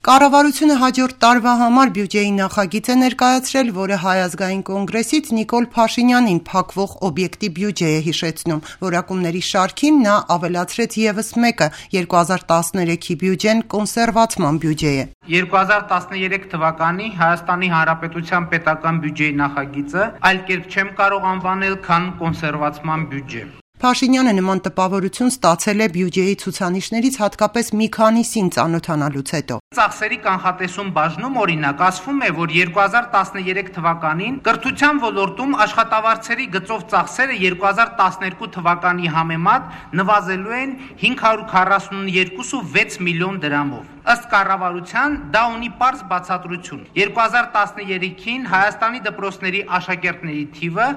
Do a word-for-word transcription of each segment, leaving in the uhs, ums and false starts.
Կառավարությունը հաջորդ տարվա համար բյուջեի նախագիծ է ներկայացրել, որը Հայ ազգային կոնգրեսից Նիկոլ Փաշինյանին փակվող օբյեկտի բյուջե է հիշեցնում։ Որակումների շարքին նա ավելացրեց ևս մեկը՝ երկու հազար տասներեքի բյուջեն կոնսերվացման բյուջե է։ երկու հազար տասներեք թվականի Հայաստանի Հանրապետության պետական բյուջեի նախագիծը այլ կերպ չեմ կարող անվանել, քան կոնսերվացման բյուջե։ Փաշինյանը նման տպավորություն ստացել է բյուջեի ցուցանիշներից հատկապես մի քանիսին ծանոթանալուց հետո։ Ծախսերի կանխատեսում բաժնում օրինակ ասվում է, որ երկու հազար տասներեք թվականին կրթության ոլորտում աշխատավարձերի գծով ծախսերը երկու հազար տասներկու թվականի համեմատ նվազելու են հինգ հարյուր քառասունյոթ կόμμα վեց միլիոն դրամով։ Ըստ կառավարության դա ունի պարզ բացատրություն։ երկու հազար տասներեքին Հայաստանի դպրոցների աշակերտների թիվը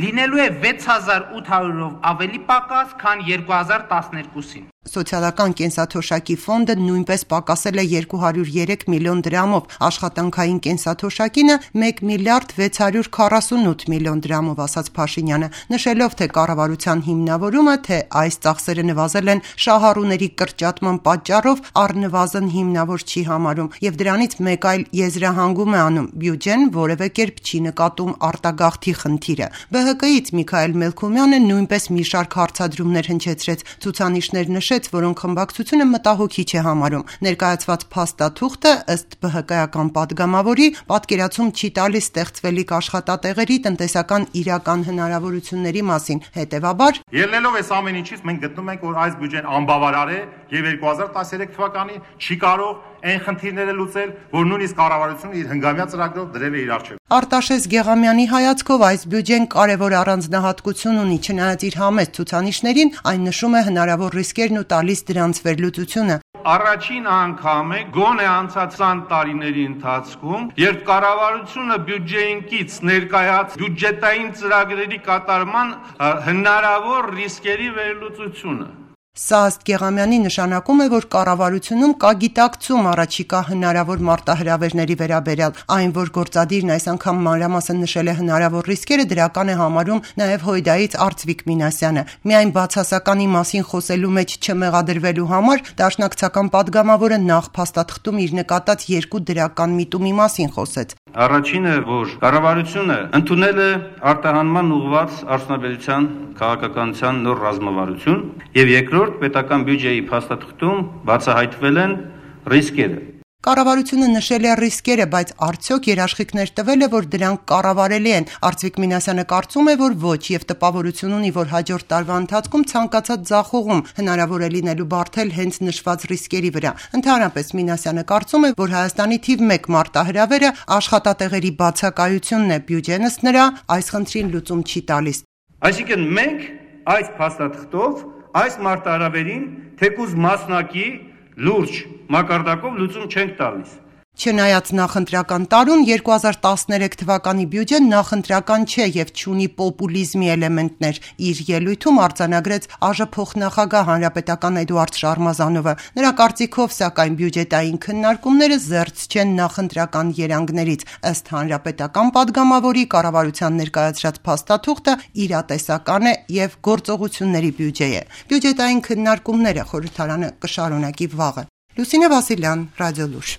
լինելու է վեց հազար ութ հարյուրով ավելի պակաս, քան երկու հազար տասներկուսին։ Սոցիալական կենսաթոշակի ֆոնդը նույնպես պակասել է երկու հարյուր երեք միլիոն դրամով, աշխատանքային կենսաթոշակինը մեկ միլիարդ վեց հարյուր քառասունութ միլիոն դրամով, ասաց Փաշինյանը, նշելով թե կառավարության հիմնավորումը, թե այս ծախսերը նվազել են շահառուների կրճատման պատճառով, առնվազն հիմնավոր չի համարում եւ դրանից մեկ այլ եզրահանգում է անում՝ բյուջեն որևէ կերպ չի նկատում արտագաղթի խնդիրը։ Բը հը կից Միքայել Մելքումյանը նույնպես մի շարք հարցադրումներ հնչեցրեց, ցուցանիշներ նշեց, որոնք խմբակցությունը մտահոգիչ է համարում։ Ներկայացված փաստաթուղթը ըստ Բը հը կայական падգամավորի պատկերացում չի տալիս ստեղծվելիք աշխատատեղերի տնտեսական իրական հնարավորությունների մասին։ Հետևաբար, ելնելով այս ամեն ինչից մենք գտնում ենք, որ այս բյուջեն անբավարար է եւ երկու հազար տասներեք թվականին չի կարող այն խնդիրները լուծել, որ նույնիսկ կառավարությունը իր հնգամյա ծրագրով դրել է իր առջև։ Արտաշես Գեղամյանի հայացքով այս բյուջեն կարևոր առանձնահատկություն ունի, չնայած իր համեստ ցուցանիշներին, այն նշում է հնարավոր ռիսկերն ու տալիս դրանց վերլուծությունը։ Առաջին անգամ է գոնե անցած քսան տարիների ընթացքում, երբ կառավարությունը բյուջեին կից ներկայաց բյուջետային ծրագրերի կատարման հնարավոր ռիսկերի վերլուծությունը։ Սա ըստ Գեղամյանի նշանակում է, որ կառավարությունում կա գիտակցում առաջիկա հնարավոր մարտահրավերների վերաբերյալ, այն, որ գործադիրն այս անգամ մանրամասն նշել է հնարավոր ռիսկերը, դրական է համարում նաև Հույդայից Արծվիկ Մինասյանը։ Միայն բացասականի մասին խոսելու մեջ չմեղադրվելու համար դաշնակցական падգամավորը նախ փաստաթղթում իր նկատած երկու դրական միտումի մասին խոսեց։ Առաջինը, որ կառավարությունը ընդունել է արտահանման ուղղված արդյունաբերության քաղաքականության նոր ռազմավարություն, եւ երկրորդ պետական բյուջեի փաստաթղթում բացահայտվել են ռիսկերը։ Կառավարությունը նշել է ռիսկերը, բայց արդյոք երաշխիքներ տվել է, որ դրանք կառավարելի են։ Արծվիկ Մինասյանը կարծում է, որ ոչ, եւ տպավորություն ունի, որ հաջորդ տարվա ընթացքում ցանկացած ձախողում հնարավոր է լինելու բարթել հենց նշված ռիսկերի վրա։ Ընդհանրապես Մինասյանը կարծում է, որ Հայաստանի թիվ մեկ մարտահրավերը աշխատատեղերի բացակայությունն է, բյուջեն ըստ նրա այս խնդրին լուծում չի տալիս։ Այսինքն մենք այս փաստաթղթով այս մարտահրավերին թեկուզ մասնակի լուրջ մակարդակով լուծում չենք տալիս։ Չնայած նախընտրական տարուն երկու հազար տասներեք թվականի բյուջեն նախընտրական չէ եւ չունի պոպուլիզմի էլեմենտներ, իր ելույթում արձանագրեց ԱԺ փոխնախագահ հանրապետական Էդուարդ Շարմազանովը։ Նրա կարծիքով, սակայն բյուջետային քննարկումները զերծ չեն նախընտրական երանգներից։ Ըստ հանրապետական падգամավորի, կառավարության ներկայացրած փաստաթուղթը իրատեսական է եւ գործողությունների բյուջե է։ Բյուջետային քննարկումները խորհրդարանը կշարունակի վաղը։ Լուսինե Վասիլյան, Ռադիոլուր։